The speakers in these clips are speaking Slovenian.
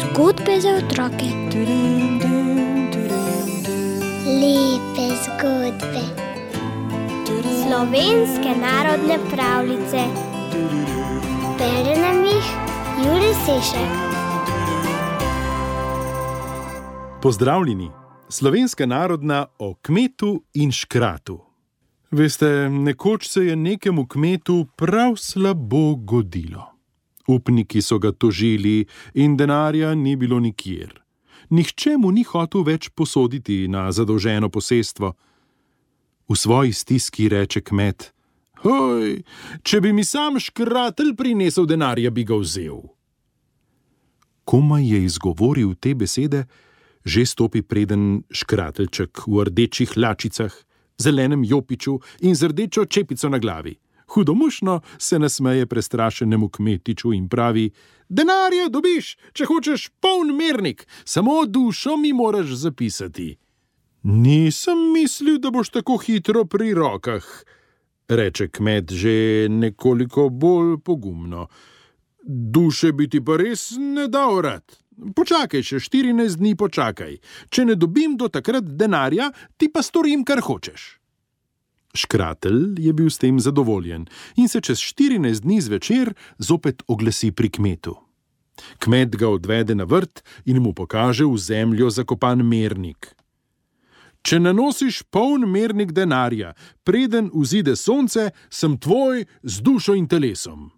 Zgodbe za otroke. Lepe zgodbe. Slovenske narodne pravljice. Bere nam jih Jurij Sešek. Pozdravljeni! Slovenska narodna o kmetu in škratu. Veste, nekoč se je nekemu kmetu prav slabo godilo. Upniki so ga tožili in denarja ni bilo nikjer. Nihče mu ni hotel več posoditi na zadolženo posestvo. V svoji stiski reče kmet: "Hoj, če bi mi sam škratelj prinesel denarja, bi ga vzel." Komaj je izgovoril te besede, že stopi preden škrateljček v rdečih hlačicah, zelenem jopiču in z rdečo čepico na glavi. Hudomušno se nasmeje prestrašenemu kmetiču in pravi: "Denarja dobiš, če hočeš poln mernik, samo dušo mi moraš zapisati." "Nisem mislil, da boš tako hitro pri rokah," reče kmet že nekoliko bolj pogumno. "Duše bi ti pa res ne dal rad. Počakaj še 14 dni počakaj. Če ne dobim do takrat denarja, ti pa storim, kar hočeš." Škratelj je bil s tem zadovoljen in se čez 14 dni zvečer zopet oglasi pri kmetu. Kmet ga odvede na vrt in mu pokaže v zemljo zakopan mernik. "Če nanosiš poln mernik denarja, preden vzide sonce, sem tvoj z dušo in telesom."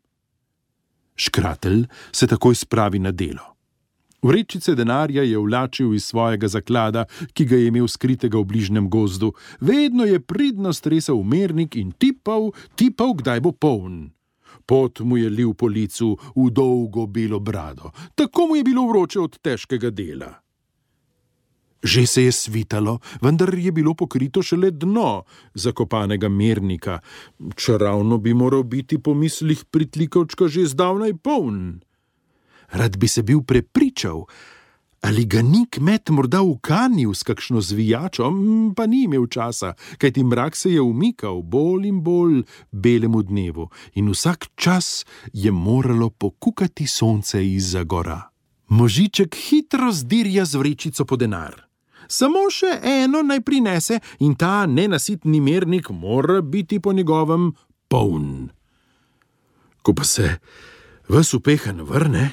Škratelj se takoj spravi na delo. Vrečice denarja je vlačil iz svojega zaklada, ki ga je imel skritega v bližnjem gozdu. Vedno je pridno stresal mernik in tipal, kdaj bo poln. Pot mu je lil po licu v dolgo belo brado. Tako mu je bilo vroče od težkega dela. Že se je svitalo, vendar je bilo pokrito šele dno zakopanega mernika. Čeravno bi moral biti po mislih pritlikavčka že zdavnaj poln. Rad bi se bil prepričal, ali ga ni kmet morda ukanil s kakšno zvijačo, pa ni imel časa, kajti mrak se je umikal bolj in bolj belemu dnevu in vsak čas je moralo pokukati sonce izza gora. Možiček hitro zdirja z vrečico po denar. Samo še eno naj prinese in ta nenasitni mernik mora biti po njegovem poln. Ko pa se ves upehan vrne,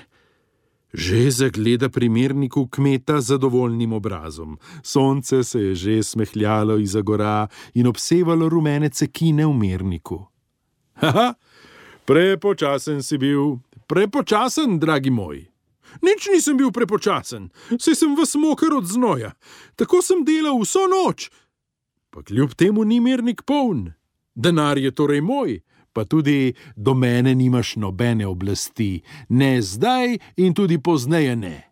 že zagleda pri merniku kmeta z zadovoljnim obrazom. Sonce se je že smehljalo izza gora in obsevalo rumene cekine v merniku. "Haha, prepočasen si bil, prepočasen, dragi moj." "Nič nisem bil prepočasen, saj sem ves moker od znoja. Tako sem delal vso noč. Pa kljub temu ni mernik poln. Denar je torej moj, pa tudi do mene nimaš nobene oblasti, ne zdaj in tudi pozneje ne."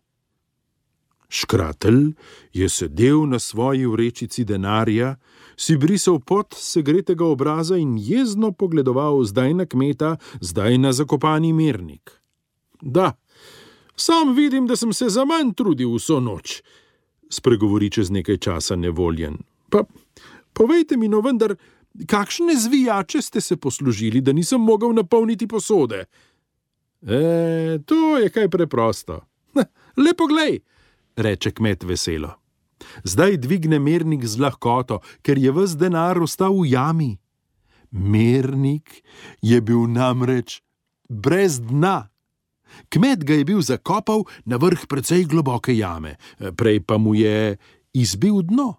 Škratelj je sedel na svoji vrečici denarja, si brisal pot segretega obraza in jezno pogledoval zdaj na kmeta, zdaj na zakopani mernik. "Da, sam vidim, da sem se zaman trudil vso noč," spregovori čez nekaj časa nevoljen. "Pa povejte mi no vendar, kakšne zvijače ste se poslužili, da nisem mogel napolniti posode?" To je kaj preprosto." "Le poglej," reče kmet veselo. Zdaj dvigne mernik z lahkoto, ker je ves denar ostal v jami. Mernik je bil namreč brez dna. Kmet ga je bil zakopal na vrh precej globoke jame, prej pa mu je izbil dno.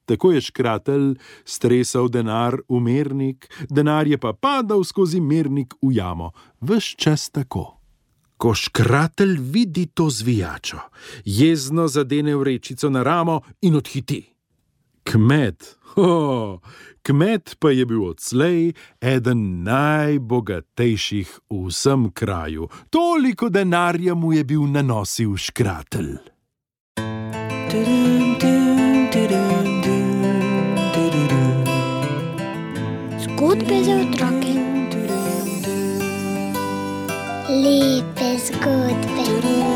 Tako je škratelj stresal denar v mernik, denar je pa padal skozi mernik v jamo. Ves čas tako. Ko škratelj vidi to zvijačo, jezno zadene vrečico na ramo in odhiti. Kmet pa je bil odslej eden najbogatejših v vsem kraju. Toliko denarja mu je bil nanosil škratelj. Zgodbe za otroke. Lepe zgodbe.